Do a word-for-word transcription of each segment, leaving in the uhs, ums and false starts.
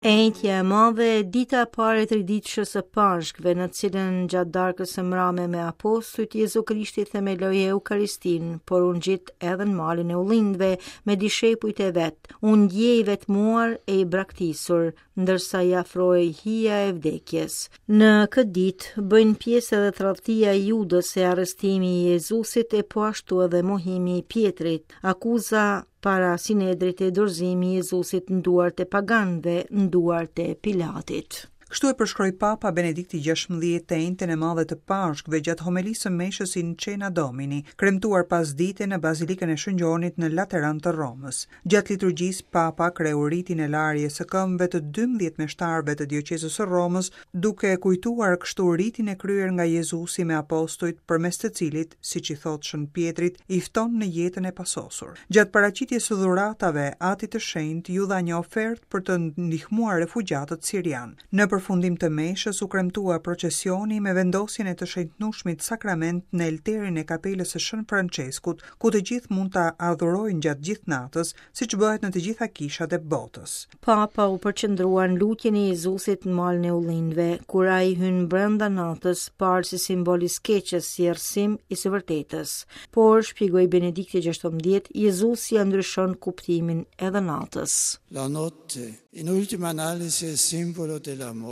E enjtja e madhe, dita e parë e triditëshës së Pashkëve, në cilën gjatë darkës së mrame me apostujt, Jezu Krishti themeloi Eukaristinë, por u ngjit edhe në malin e ullindve me dishepujt e vet. U ndje i vetmuar e i braktisur, ndërsa i afrohej hija e vdekjes. Në këtë ditë bëjnë pjesë edhe tradhtia e Judës e arrestimi i Jezusit e po ashtu edhe mohimi i Pjetrit, akuza para Sinedrit e dorëzimi i Jezusit në duart e paganëve, në duart e Pilatit. Kështu e përshkroi Papa Benedikti gjashtëmbëdhjetë të enjten e madhe të Pashkëve gjatë homelisë së meshës in Cena Domini, kremtuar pasdite në Bazilikën e Shën Gjonit në Lateran të Romës. Gjatë liturgjisë, Papa kreu ritin e larjes së këmbëve të dymbëdhjetë meshtarëve të dioqezës së Romës, duke kujtuar kështu ritin e kryer nga Jezusi me apostujt, përmes të cilit, siç i thotë Shën Pjetrit, i fton në jetën e pasosur. Gjatë paraqitjes së dhuratave, Atit të Shenjtë ju dha një ofertë për të ndihmuar refugjatët sirian. Në përfundim të meshës u kremtua procesioni me vendosjen e të shenjtnueshmit sakrament në elterin e kapelës së Shën Franceskut, ku të gjithë mund ta adhurojnë gjatë gjithë natës, siç bëhet në të gjitha kishat e botës. Papa u përqendrua në lutjen e Jezusit në malin e ullindve, kur ai hyn brenda natës, parë si simbol i skeqës, si errësim i së vërtetës. Por, shpjegoi Benedikti gjashtëmbëdhjetë, Jezusi ja ndryshon kuptimin edhe natës. La notte, in ultima analisi, è simbolo della morte.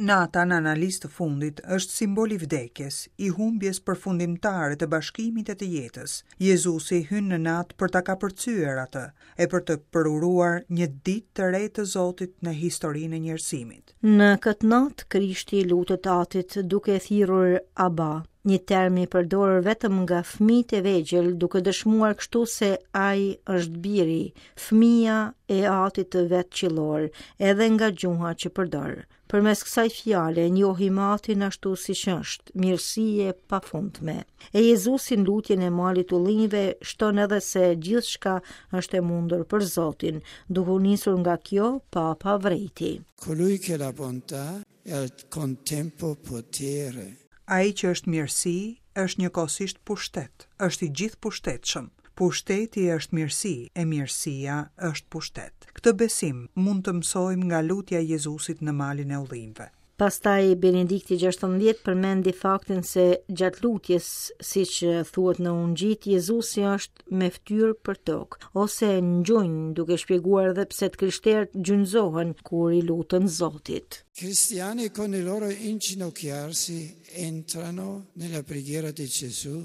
Nata në analizë të fundit është simbol i vdekjes, i humbjes përfundimtare të bashkimit e të jetës. Jezusi hyn në natë për ta kapërcyer atë e për të përuruar një ditë të re të Zotit në historinë e njerëzimit. Në këtë natë Krishti lutet Atit duke thirrur Abba, një term i përdorur vetëm nga fëmijët e vegjël, duke dëshmuar kështu se ai është biri, fëmia e Atit të vet qiellor, edhe nga gjuha që përdor. Përmes kësaj fjale njohim Atin ashtu siç është, mirësi e pafundme. E Jezusi në lutjen e malit ullinjve shton edhe se gjithçka është e mundur për Zotin, duke u nisur nga kjo, Papa vrejti. Colui che la bontà e al contempo potere. Ai që është mirësi, është njëkohësisht pushtet, është i gjithë pushtetshëm. Pushteti është mirësi, e mirësia është pushtet. Këtë besim mund të mësojmë nga lutja e Jezusit në malin e ullinjve. Pastaj Benedikti gjashtëmbëdhjetë përmendi faktin se gjatë lutjes, siç thuhet në Ungjit, Jezusi është me fytyrë për tokë ose në gjunjë, duke shpjeguar edhe pse të krishterët gjunjëzohen kur i luten Zotit. Cristiani con il loro inginocchiarsi entrano nella preghiera di Gesù.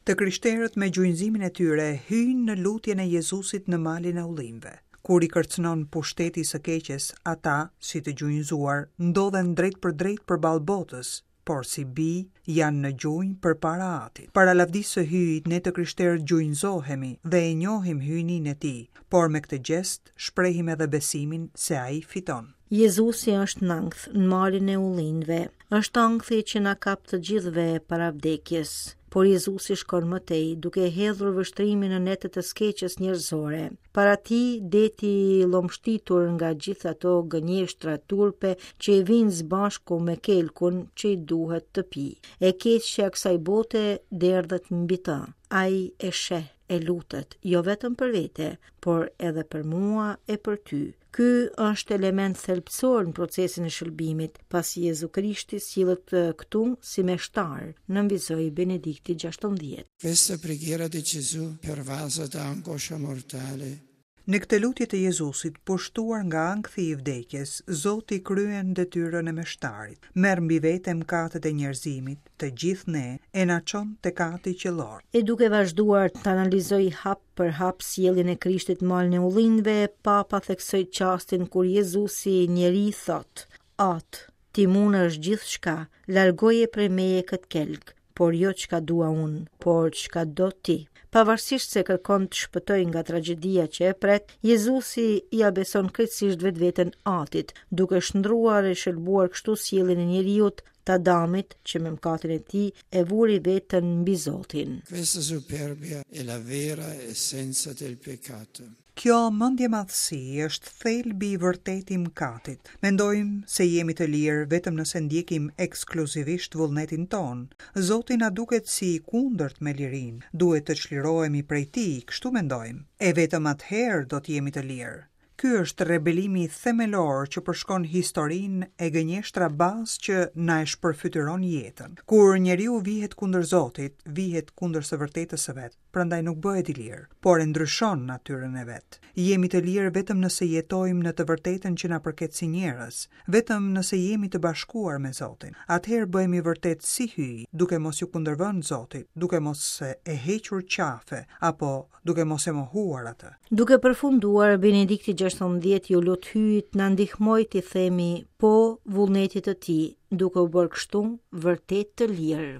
Të krishterët me gjunjëzimin e tyre hyjnë në lutjen e Jezusit në malin e ullinjve. Kur i kërcënon pushteti i së keqes, ata, si të gjunjëzuar, ndodhen drejt për drejt përballë botës, por si bij janë në gjunjë përpara Atit. Para lavdisë së Hyjit, ne të krishterët gjunjëzohemi dhe e njohim hyjninë e tij, por me këtë gjest shprehim edhe besimin se ai fiton. Jezusi është në ankth në malin e ullinjve. Është ankthi që na kap të gjithëve para vdekjes. Por Jezusi shkon më tej, duke hedhur vështrimin në netët e skeqës njerëzore. Para tij, deti i llomshtitur nga gjithë ato gënjeshtra turpe që i vinë së bashku me kelkun që i duhet të pi. E keqja e kësaj bote derdhet mbi të. Ai e sheh, e lutet, jo vetëm për vete, por edhe për mua e për ty. Ky është element thelbësor në procesin e shëlbimit, pasi Jezu Krishti sillet këtu si meshtar, nënvizoi Benedikti gjashtëmbëdhjetë. Questa preghiera di Gesù pervasa da angoscia mortale. Në këtë lutje të Jezusit, pushtuar nga ankthi i vdekjes, Zoti kryen detyrën e meshtarit, merr mbi vete mëkatet e njerëzimit, të gjithë ne, e na çon tek Ati qiellor. E duke vazhduar të analizoj hap për hap sjelljen e Krishtit në malin e ullinjve, Papa theksoi çastin kur Jezusi njeri thot: At, ti mundesh gjithçka, largoje prej meje këtë kelk, por jo çka dua unë, por çka do ti. Pavarësisht se kërkon të shpëtojë nga tragjedia që e pret, Jezusi ia beson krejtësisht vetveten Atit, duke shndruar e shëlbuar kështu sjelljen e njeriut, të Adamit, që me mëkatin e tij e vuri veten mbi Zotin. Questa superbia è la vera essenza del peccato. Kjo mendjemadhësi është thelbi i vërtetë i mëkatit. Mendojmë se jemi të lirë vetëm nëse ndjekim ekskluzivisht vullnetin ton. Zoti na duket si i kundërt me lirinë. Duhet të çlirohemi prej tij, kështu mendojmë. E vetëm atëherë do të jemi të lirë. Ky është rebelimi themelor që përshkon historinë e gënjeshtra bazë që na e shpërfytyron jetën. Kur njeriu vihet kundër Zotit, vihet kundër së vërtetës së vet, prandaj nuk bëhet i lirë, por e ndryshon natyrën e vet. Jemi të lirë vetëm nëse jetojmë në të vërtetën që na përket si njerëz, vetëm nëse jemi të bashkuar me Zotin. Atëherë bëhemi vërtet si Hyji, duke mos ju kundërvënë Zotit, duke mos e hequr qafe apo duke mos e mohuar atë. Duke përfunduar, Benedikti gjashtëmbëdhjetë ju lut Hyjit na ndihmoj t'i themi po vullnetit të tij, duke u bërë kështu vërtet të lirë.